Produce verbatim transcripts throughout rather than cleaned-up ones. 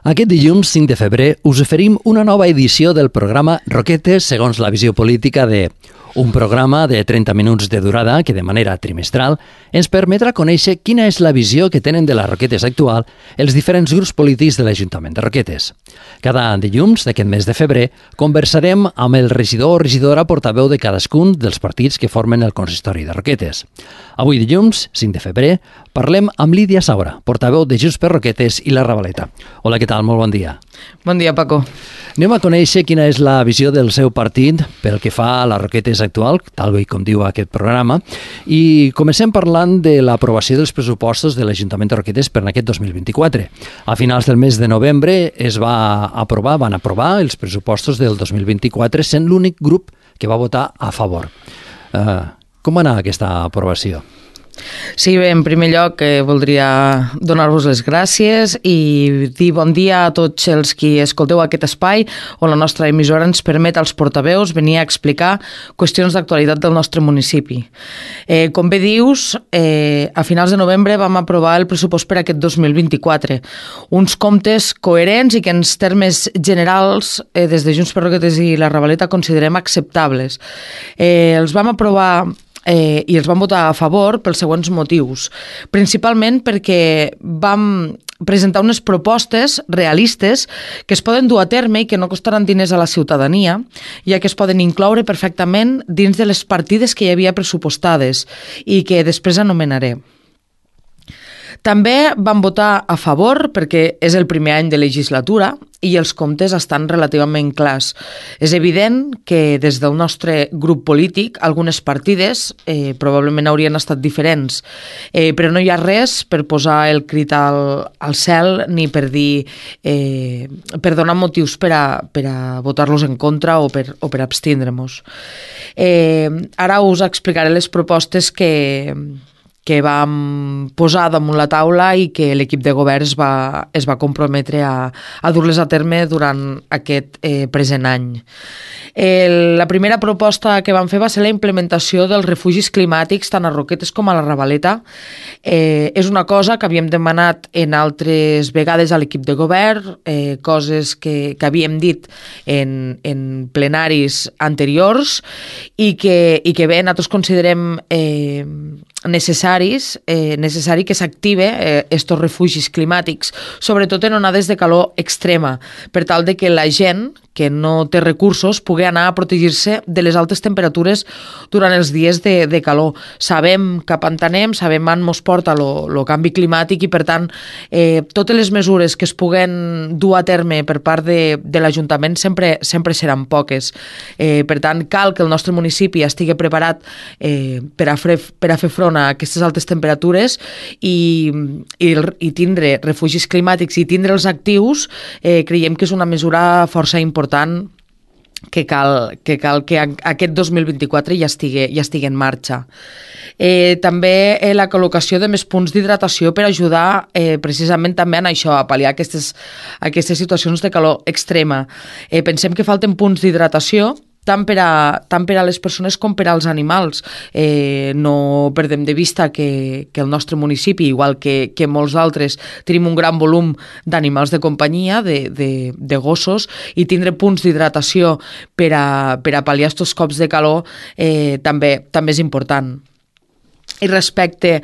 Aquest dilluns cinc de febrer us oferim una nova edició del programa Roquetes segons la visió política de... Un programa de trenta minuts de durada que de manera trimestral ens permetrà conèixer quina és la visió que tenen de les Roquetes actual els diferents grups polítics de l'Ajuntament de Roquetes. Cada dilluns d'aquest mes de febrer conversarem amb el regidor o regidora portaveu de cadascun dels partits que formen el consistori de Roquetes. Avui dilluns, cinc de febrer, parlem amb Lídia Saura, portaveu de Junts per Roquetes i la Ravaleta. Hola, què tal? Molt bon dia. Bon dia, Paco. Anem a conèixer quina és la visió del seu partit pel que fa a les Roquetes actual, tal com diu aquest programa, i comencem parlant de l'aprovació dels pressupostos de l'Ajuntament de Roquetes per aquest dos mil vint-i-quatre. A finals del mes de novembre es va aprovar, van aprovar els pressupostos del dos mil vint-i-quatre, sent l'únic grup que va votar a favor. Uh, com va anar aquesta aprovació? Sí, bé, en primer lloc eh, voldria donar-vos les gràcies i dir bon dia a tots els qui escolteu aquest espai on la nostra emissora ens permet als portaveus venir a explicar qüestions d'actualitat del nostre municipi. Eh, com bé dius, eh, a finals de novembre vam aprovar el pressupost per aquest dos mil vint-i-quatre. Uns comptes coherents i que en termes generals, eh, des de Junts per Roquetes i la Ravaleta, considerem acceptables. Eh, els vam aprovar Eh, i els vam votar a favor pels següents motius. Principalment perquè vam presentar unes propostes realistes que es poden dur a terme i que no costaran diners a la ciutadania, ja que es poden incloure perfectament dins de les partides que hi havia pressupostades i que després anomenaré. També vam votar a favor perquè és el primer any de legislatura i els comptes estan relativament clars. És evident que des del nostre grup polític algunes partides eh, probablement haurien estat diferents, eh, però no hi ha res per posar el crit al, al cel ni per dir eh, per donar motius per a, per a votar-los en contra o per, o per abstindre-nos. Eh, ara us explicaré les propostes que... que vam posar damunt la taula i que l'equip de govern es va, es va comprometre a, a dur-les a terme durant aquest eh, present any. El, la primera proposta que vam fer va ser la implementació dels refugis climàtics tant a Roquetes com a la Ravaleta. Eh, és una cosa que havíem demanat en altres vegades a l'equip de govern, eh, coses que, que havíem dit en, en plenaris anteriors i que, i que bé, nosaltres considerem eh, necessaris, eh, necessari que s'active eh, estos refugis climàtics, sobretot en onades de calor extrema, per tal de que la gent que no té recursos pugui anar a protegir-se de les altes temperatures durant els dies de, de calor. Sabem cap on anem, sabem on ens porta el canvi climàtic i, per tant, eh, totes les mesures que es puguen dur a terme per part de, de l'Ajuntament sempre, sempre seran poques. Eh, per tant, cal que el nostre municipi estigui preparat eh, per, a fre, per a fer front a aquestes altes temperatures i, i, i tindre refugis climàtics i tindre'ls actius, eh, creiem que és una mesura força important que cal que, cal que aquest dos mil vint-i-quatre ja estigui, ja estigui en marxa. Eh, també eh, la col·locació de més punts d'hidratació per ajudar eh, precisament també en això, a pal·liar aquestes, aquestes situacions de calor extrema. Eh, pensem que falten punts d'hidratació tant per, a, tant per a les persones com per als animals. Eh, no perdem de vista que, que el nostre municipi, igual que, que molts altres, tenim un gran volum d'animals de companyia, de, de, de gossos, i tindre punts d'hidratació per a, per a pal·liar aquests cops de calor eh, també, també és important. I respecte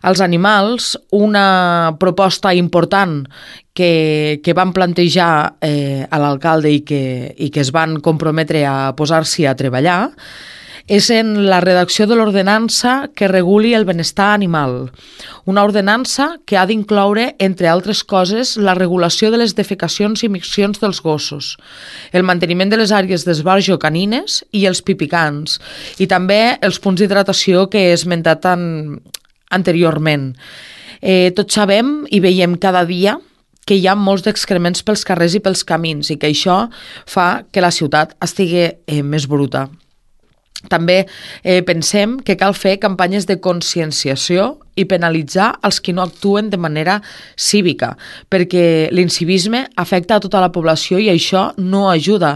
als animals, una proposta important que, que van plantejar eh, a l'alcalde i que, i que es van comprometre a posar-s'hi a treballar és en la redacció de l'ordenança que reguli el benestar animal. Una ordenança que ha d'incloure, entre altres coses, la regulació de les defecacions i miccions dels gossos, el manteniment de les àrees d'esbarjo canines i els pipicans, i també els punts d'hidratació que he esmentat tan anteriorment. Eh, tots sabem i veiem cada dia que hi ha molts d'excrements pels carrers i pels camins i que això fa que la ciutat estigui eh, més bruta. També eh, pensem que cal fer campanyes de conscienciació i penalitzar els qui no actuen de manera cívica, perquè l'incivisme afecta a tota la població i això no ajuda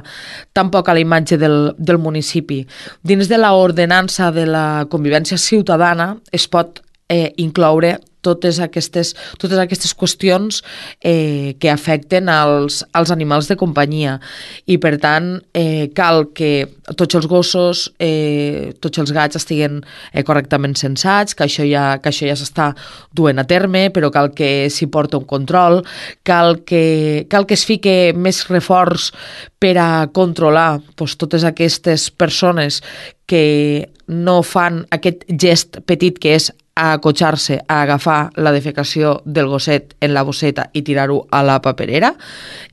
tampoc a la imatge del, del municipi. Dins de l'ordenança de la convivència ciutadana es pot eh, incloure totes aquestes, totes aquestes qüestions eh, que afecten als, als animals de companyia. I, per tant, eh, cal que tots els gossos, eh, tots els gats estiguen eh, correctament censats, que això ja, que això ja s'està duent a terme, però cal que s'hi porta un control, cal que, cal que es fique més reforç per a controlar doncs, totes aquestes persones que no fan aquest gest petit que és a acotxar-se, a agafar la defecació del gosset en la bosseta i tirar-ho a la paperera.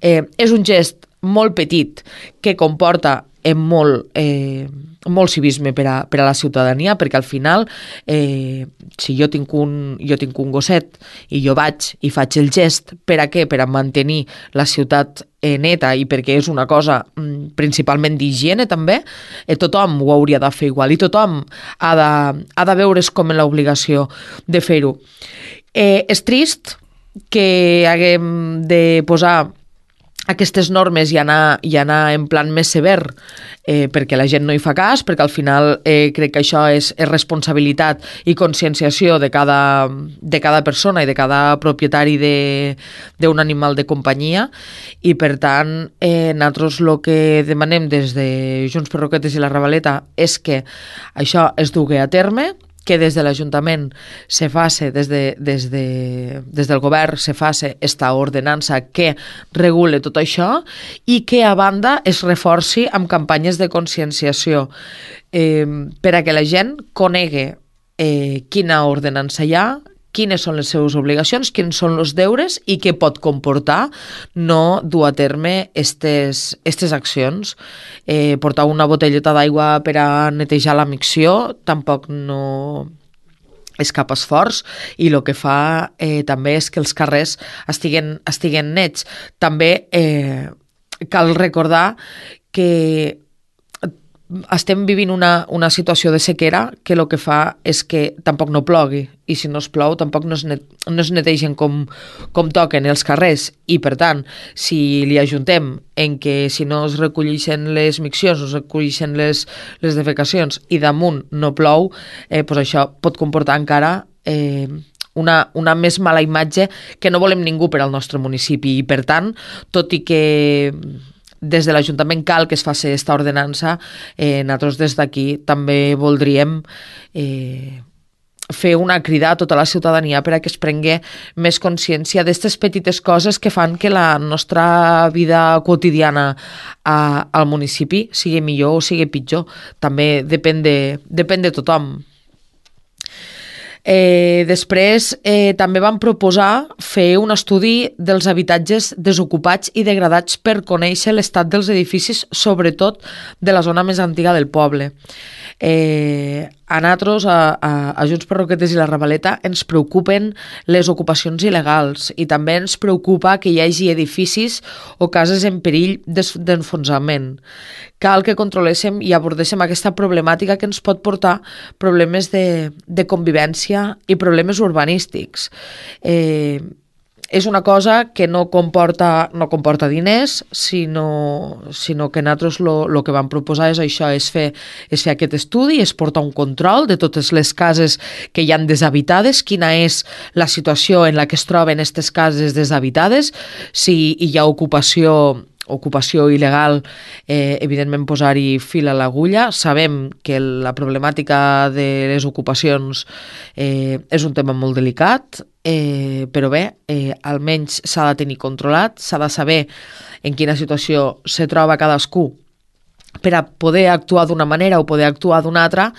Eh, és un gest molt petit que comporta en molt, eh, molt civisme per a, per a la ciutadania, perquè al final, eh, si jo tinc, un, jo tinc un gosset i jo vaig i faig el gest, per a què? Per a mantenir la ciutat eh, neta i perquè és una cosa mm, principalment d'higiene també, eh, tothom ho hauria de fer igual i tothom ha de, ha de veure's com en l'obligació de fer-ho. Eh, és trist que haguem de posar aquestes normes i anar, i anar en plan més sever eh, perquè la gent no hi fa cas, perquè al final eh, crec que això és, és responsabilitat i conscienciació de cada, de cada persona i de cada propietari d'un animal de companyia i per tant eh, nosaltres el que demanem des de Junts per Roquetes i la Ravaleta és que això es dugui a terme, que des de l'Ajuntament se faci, des, de, des, de, des del govern se faci esta ordenança que regule tot això i que a banda es reforci amb campanyes de conscienciació eh, per a que la gent conegui eh, quina ordenança hi ha, quines són les seves obligacions, quins són els deures i què pot comportar no dur a terme estes, estes accions. Eh, portar una botelleta d'aigua per a netejar la micció tampoc no és cap esforç i el que fa eh, també és que els carrers estiguen, estiguen nets. També eh, cal recordar que estem vivint una, una situació de sequera que el que fa és que tampoc no plogui i si no es plou tampoc no es, net, no es netegen com, com toquen els carrers i per tant si li ajuntem en que si no es recolleixen les miccions, no es recolleixen les, les defecacions i damunt no plou, eh, doncs això pot comportar encara eh, una, una més mala imatge que no volem ningú per al nostre municipi i per tant, tot i que des de l'Ajuntament cal que es faci aquesta ordenança, eh, nosaltres des d'aquí també voldríem eh, fer una crida a tota la ciutadania per a que es prengui més consciència d'aquestes petites coses que fan que la nostra vida quotidiana a, al municipi sigui millor o sigui pitjor. També depèn de, depèn de tothom. Eh, després eh, també vam proposar fer un estudi dels habitatges desocupats i degradats per conèixer l'estat dels edificis, sobretot de la zona més antiga del poble. Eh, a nosaltres, a, a, a Junts per Roquetes i la Ravaleta, ens preocupen les ocupacions il·legals i també ens preocupa que hi hagi edificis o cases en perill d'enfonsament. Cal que controléssim i abordéssim aquesta problemàtica que ens pot portar problemes de, de convivència i problemes urbanístics. Eh, és una cosa que no comporta, no comporta diners, sinó, sinó que nosaltres el que vam proposar és això, és fer, és fer aquest estudi, és portar un control de totes les cases que hi han deshabitades, quina és la situació en la que es troben aquestes cases deshabitades, si hi ha ocupació ocupació il·legal, eh, evidentment posar-hi fil a l'agulla. Sabem que la problemàtica de les ocupacions eh, és un tema molt delicat, eh, però bé, eh, almenys s'ha de tenir controlat, s'ha de saber en quina situació se troba cadascú per a poder actuar d'una manera o poder actuar d'una altra,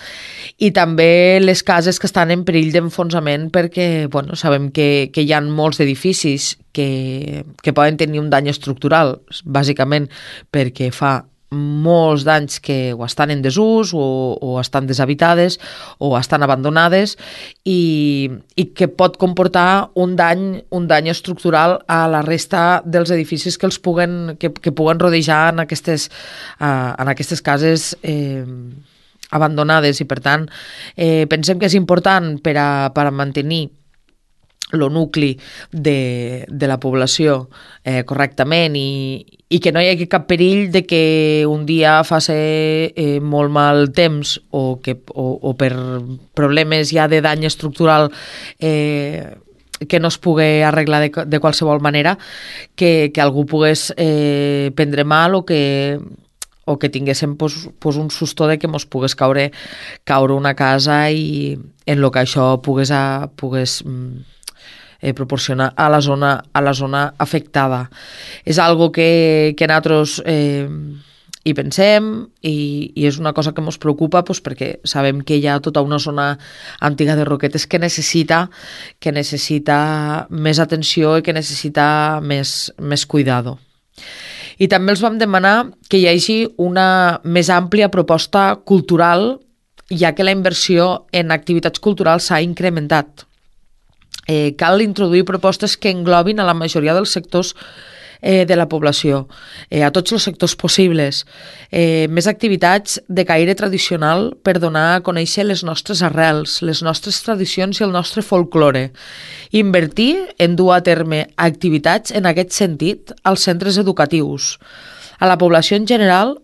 i també les cases que estan en perill d'enfonsament perquè bueno, sabem que, que hi ha molts edificis que, que poden tenir un dany estructural, bàsicament perquè fa molts d'anys que o estan en desús o, o estan deshabitades o estan abandonades i, i que pot comportar un dany, un dany estructural a la resta dels edificis que els puguen, que, que puguen rodejar en aquestes, uh, en aquestes cases eh, abandonades i per tant eh, pensem que és important per a, per a mantenir el nucli de, de la població eh, correctament i, i que no hi hagi cap perill de que un dia faci eh, molt mal temps o, que, o, o per problemes ja de dany estructural eh, que no es pugui arreglar de, de qualsevol manera, que, que algú pogués eh, prendre mal o que o que tinguéssim pues, pues un susto de que mos pogués caure, caure una casa i en lo que això pogués, a, pogués eh, proporcionar a la zona, a la zona afectada. És algo que, que nosaltres eh, hi pensem i, i és una cosa que ens preocupa pues, perquè sabem que hi ha tota una zona antiga de Roquetes que necessita, que necessita més atenció i que necessita més, més cuidado. I també els vam demanar que hi hagi una més àmplia proposta cultural, ja que la inversió en activitats culturals s'ha incrementat. Eh, cal introduir propostes que englobin a la majoria dels sectors eh, de la població, eh, a tots els sectors possibles. Eh, més activitats de caire tradicional per donar a conèixer les nostres arrels, les nostres tradicions i el nostre folklore. Invertir en dur a terme activitats en aquest sentit als centres educatius, a la població en general,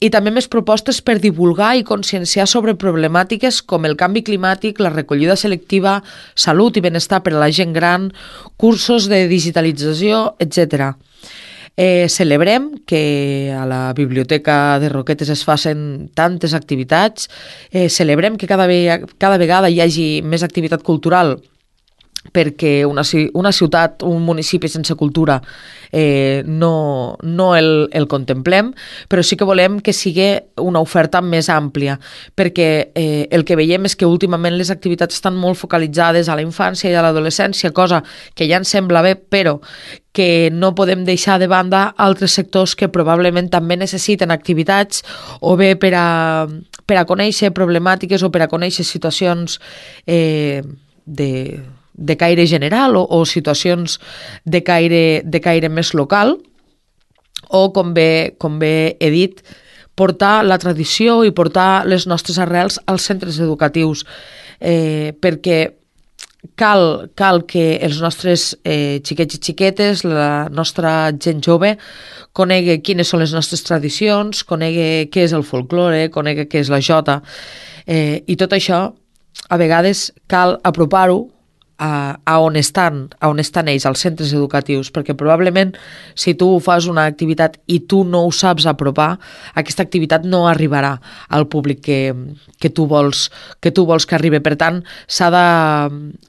i també més propostes per divulgar i conscienciar sobre problemàtiques com el canvi climàtic, la recollida selectiva, salut i benestar per a la gent gran, cursos de digitalització, etcètera. Eh, celebrem que a la Biblioteca de Roquetes es facin tantes activitats, eh, celebrem que cada, ve cada vegada hi hagi més activitat cultural, perquè una, una ciutat, un municipi sense cultura eh, no, no el, el contemplem, però sí que volem que sigui una oferta més àmplia, perquè eh, el que veiem és que últimament les activitats estan molt focalitzades a la infància i a l'adolescència, cosa que ja ens sembla bé, però que no podem deixar de banda altres sectors que probablement també necessiten activitats o bé per a, per a conèixer problemàtiques o per a conèixer situacions eh, de de caire general o, o situacions de caire, de caire més local, o com bé, com bé he dit, portar la tradició i portar les nostres arrels als centres educatius, eh, perquè cal, cal que els nostres eh, xiquets i xiquetes, la nostra gent jove, conegui quines són les nostres tradicions, conegui què és el folklore, conegui què és la jota, eh, i tot això a vegades cal apropar-ho A, a on estan, a on estan ells, als centres educatius, perquè probablement si tu fas una activitat i tu no ho saps apropar, aquesta activitat no arribarà al públic que, que, tu, vols, que tu vols que arribi. Per tant, s'ha de,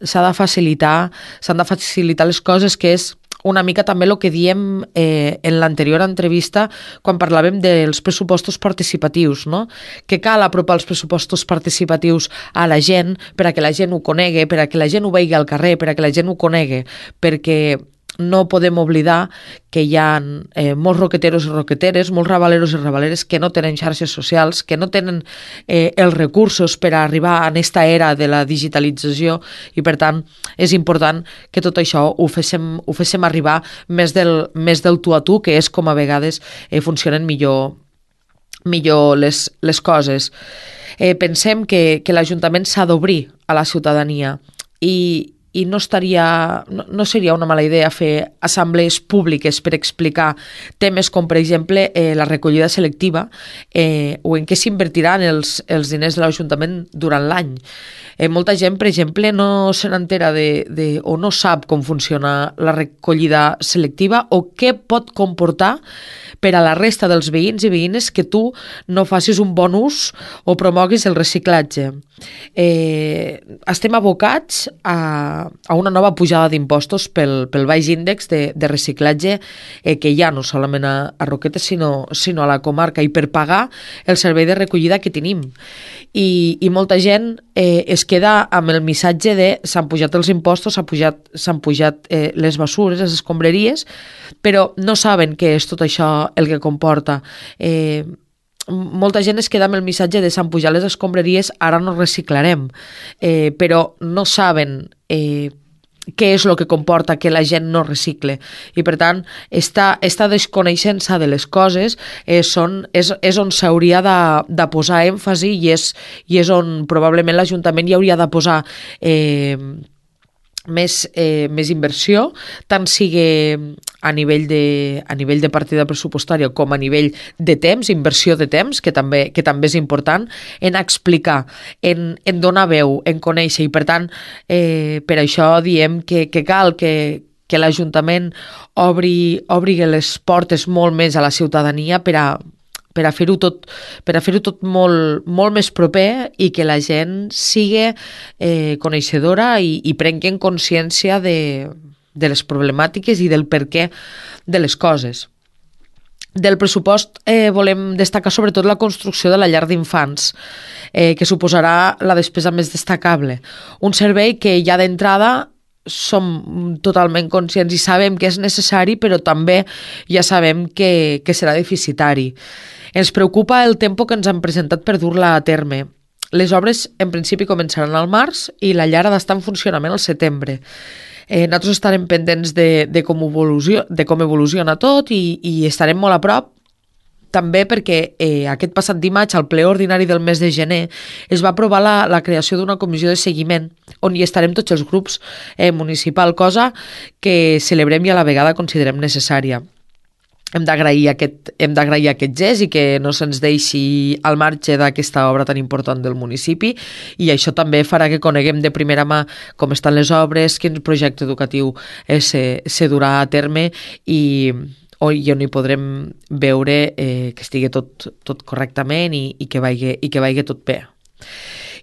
s'ha de facilitar, s'han de facilitar les coses, que és una mica també el que diem eh, en l'anterior entrevista quan parlàvem dels pressupostos participatius, no? Que cal apropar els pressupostos participatius a la gent per a que la gent ho conegui, per a que la gent ho vegi al carrer, per a que la gent ho conegui, perquè no podem oblidar que hi ha eh, molts roqueteros i roqueteres, molts rabaleros i rabaleres que no tenen xarxes socials, que no tenen eh, els recursos per a arribar a aquesta era de la digitalització i, per tant, és important que tot això ho féssim, ho féssim arribar més del, més del tu a tu, que és com a vegades eh, funcionen millor, millor les, les coses. Eh, pensem que, que l'Ajuntament s'ha d'obrir a la ciutadania i i no, estaria, no, no seria una mala idea fer assemblees públiques per explicar temes com, per exemple, eh, la recollida selectiva eh, o en què s'invertiran els, els diners de l'Ajuntament durant l'any. Eh, molta gent, per exemple, no se n'entera de, de, o no sap com funciona la recollida selectiva o què pot comportar per a la resta dels veïns i veïnes que tu no facis un bon ús o promoguis el reciclatge. Eh, estem abocats a, a una nova pujada d'impostos pel, pel baix índex de, de reciclatge eh, que hi ha no solament a, a Roquetes sinó, sinó a la comarca, i per pagar el servei de recollida que tenim. I, i molta gent eh, es queda amb el missatge de s'han pujat els impostos, s'han pujat, s'han pujat eh, les bessures, les escombraries, però no saben què és tot això el que comporta. Eh, molta gent es queda amb el missatge de s'han pujat les escombraries, ara no reciclarem, eh, però no saben eh, què és el que comporta que la gent no recicle, i per tant esta, esta desconeixença de les coses eh, són, és, és on s'hauria de, de posar èmfasi i és, i és on probablement l'Ajuntament hi hauria de posar eh, més, eh, més inversió, tant sigui a nivell, de, a nivell de partida pressupostària com a nivell de temps, inversió de temps, que també, que també és important, en explicar, en, en donar veu, en conèixer, i per tant, eh, per això diem que, que cal que, que l'Ajuntament obri, obri les portes molt més a la ciutadania per a per a fer-ho tot, per a fer-ho tot molt, molt més proper i que la gent sigui eh, coneixedora i, i prenguen consciència de, de les problemàtiques i del perquè de les coses. Del pressupost eh, volem destacar sobretot la construcció de la llar d'infants, eh, que suposarà la despesa més destacable. Un servei que ja d'entrada som totalment conscients i sabem que és necessari, però també ja sabem que, que serà deficitari. Ens preocupa el tempo que ens han presentat per dur-la a terme. Les obres, en principi, començaran al març i la llar ha d'estar en funcionament al setembre. Eh, nosaltres estarem pendents de, de, com evoluciona, de com evoluciona tot i, i estarem molt a prop, també perquè eh, aquest passat dimarts, al ple ordinari del mes de gener, es va aprovar la, la creació d'una comissió de seguiment on hi estarem tots els grups eh, municipal, cosa que celebrem i a la vegada considerem necessària. Hem d'agrair aquest, hem d'agrair aquest gest i que no se'ns deixi al marge d'aquesta obra tan important del municipi, i això també farà que coneguem de primera mà com estan les obres, quin projecte educatiu eh, se, se durà a terme i i on hi podrem veure eh, que estigui tot, tot correctament i, i, que vagi, i que vagi tot bé.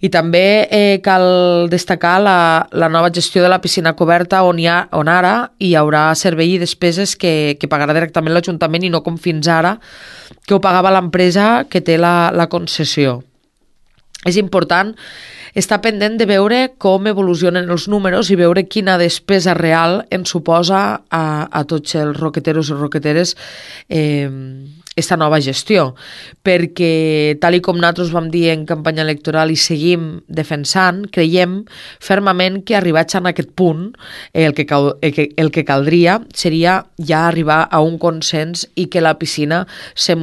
I també eh, cal destacar la, la nova gestió de la piscina coberta on, hi ha, on ara hi haurà servei i despeses que, que pagarà directament l'Ajuntament i no com fins ara, que ho pagava l'empresa que té la, la concessió. És important estar pendent de veure com evolucionen els números i veure quina despesa real ens suposa a, a tots els roqueteros i roqueteres eh, esta nova gestió, perquè tal i com nosaltres vam dir en campanya electoral i seguim defensant, creiem fermament que arribats a aquest punt eh, el, que cal, el, que, el que caldria seria ja arribar a un consens i que la piscina se,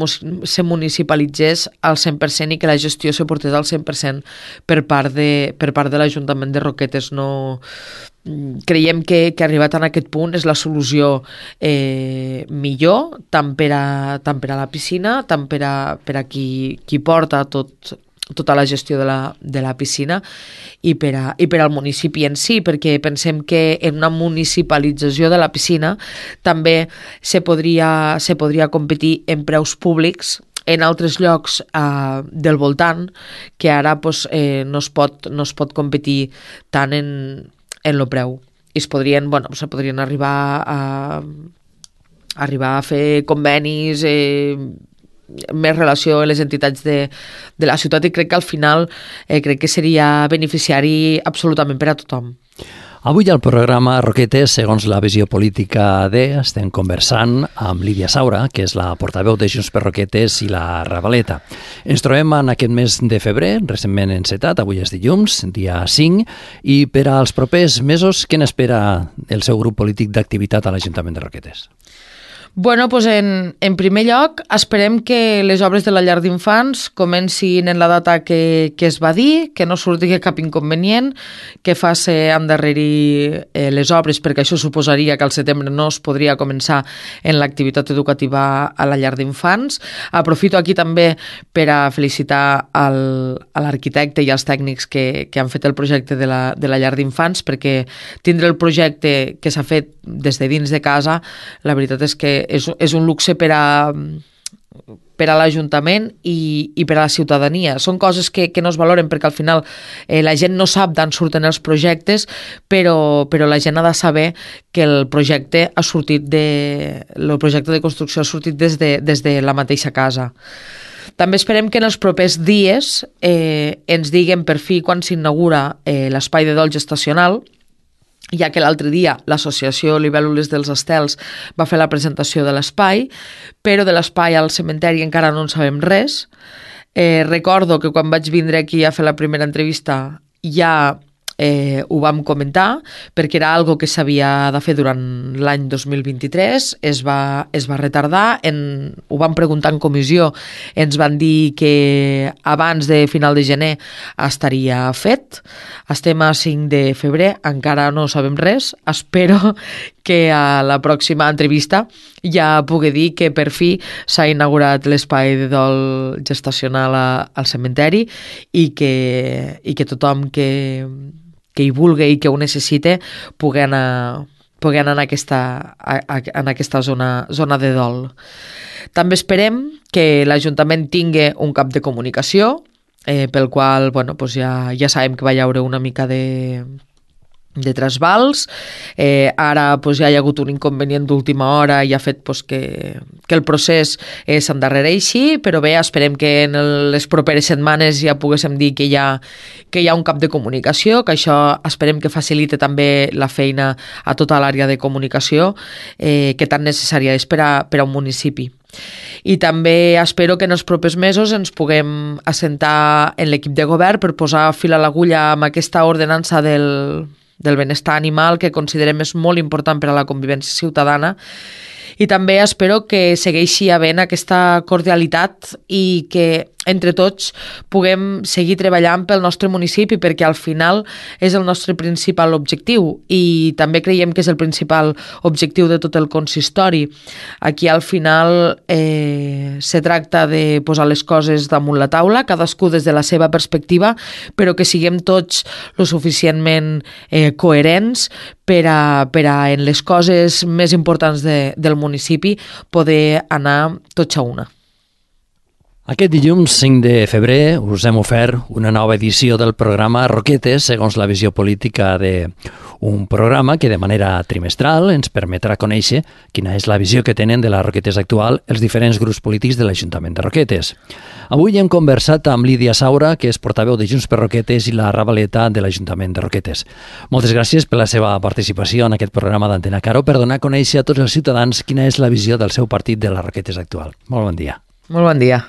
se municipalitzés al cent per cent i que la gestió se portés al cent per cent per part de, per part de l'Ajuntament de Roquetes. No, creiem que, que arribat a aquest punt és la solució eh, millor, tant per, a, tant per a la piscina, tant per a, per a qui, qui porta tot, tota la gestió de la, de la piscina i per, a, i per al municipi en si, perquè pensem que en una municipalització de la piscina també se podria, se podria competir en preus públics en altres llocs eh, del voltant, que ara pues, eh, no, es pot, no es pot competir tant en en lo preu. I es podrien, bueno, se podrien arribar a, a arribar a fer convenis, eh, més relació amb les entitats de, de la ciutat, i crec que al final eh, crec que seria beneficiari absolutament per a tothom. Avui al programa Roquetes, segons la visió política de, estem conversant amb Lídia Saura, que és la portaveu de Junts per Roquetes i la Ravaleta. Ens trobem en aquest mes de febrer, recentment encetat, avui és dilluns, dia cinc, i per als propers mesos, què n'espera el seu grup polític d'activitat a l'Ajuntament de Roquetes? Bueno, pues en, en primer lloc, esperem que les obres de la llar d'infants comencin en la data que, que es va dir, que no surti cap inconvenient, que faci endarrerir eh, les obres, perquè això suposaria que al setembre no es podria començar en l'activitat educativa a la llar d'infants. Aprofito aquí també per a felicitar al, a l'arquitecte i als tècnics que, que han fet el projecte de la, de la llar d'infants, perquè tindre el projecte que s'ha fet des de dins de casa, la veritat és que és, és un luxe per a, per a l'Ajuntament i, i per a la ciutadania. Són coses que, que no es valoren perquè al final eh, la gent no sap d'on surten els projectes, però, però la gent ha de saber que el projecte ha sortit de, el projecte de construcció ha sortit des de, des de la mateixa casa. També esperem que en els propers dies eh, ens diguen per fi quan s'inaugura eh, l'espai de dolç estacional, ja que l'altre dia l'associació Libèl·lules dels Estels va fer la presentació de l'espai, però de l'espai al cementeri encara no en sabem res. Eh, recordo que quan vaig vindre aquí a fer la primera entrevista ja eh, ho vam comentar perquè era algo que s'havia de fer durant l'any dos mil vint-i-tres, es va, es va retardar, en, ho vam preguntar en comissió, ens van dir que abans de final de gener estaria fet. Estem a cinc de febrer, encara no sabem res, espero que a la pròxima entrevista ja pugui dir que per fi s'ha inaugurat l'espai de dol gestacional a, al cementeri i que, i que tothom que que hi vulgui i que ho necessite pugui anar, pugui anar en aquesta, a, a, en aquesta zona, zona de dol. També esperem que l'Ajuntament tingui un cap de comunicació, eh, pel qual bueno, doncs ja, ja sabem que va hi haure una mica de, de trasbals. Eh, ara doncs, ja hi ha hagut un inconvenient d'última hora i ha fet doncs, que, que el procés eh, s'endarrereixi, però bé, esperem que en les properes setmanes ja poguéssim dir que hi ha, que hi ha un cap de comunicació, que això esperem que facilite també la feina a tota l'àrea de comunicació eh, que tan necessària és per a, per a un municipi. I també espero que en els propers mesos ens puguem assentar en l'equip de govern per posar fil a l'agulla amb aquesta ordenança del, del benestar animal que considerem és molt important per a la convivència ciutadana. I també espero que segueixi havent aquesta cordialitat i que entre tots puguem seguir treballant pel nostre municipi, perquè al final és el nostre principal objectiu i també creiem que és el principal objectiu de tot el consistori. Aquí al final eh, se tracta de posar les coses damunt la taula, cadascú des de la seva perspectiva, però que siguem tots lo suficientment eh, coherents per a, per a en les coses més importants de, del municipi poder anar tots a una. Aquest dilluns cinc de febrer us hem ofert una nova edició del programa Roquetes, segons la visió política d'un programa que de manera trimestral ens permetrà conèixer quina és la visió que tenen de la Roquetes actual els diferents grups polítics de l'Ajuntament de Roquetes. Avui hem conversat amb Lídia Saura, que és portaveu de Junts per Roquetes i la Ravaleta de l'Ajuntament de Roquetes. Moltes gràcies per la seva participació en aquest programa d'Antena Caro per donar a conèixer a tots els ciutadans quina és la visió del seu partit de les Roquetes actual. Molt bon dia. Molt bon dia.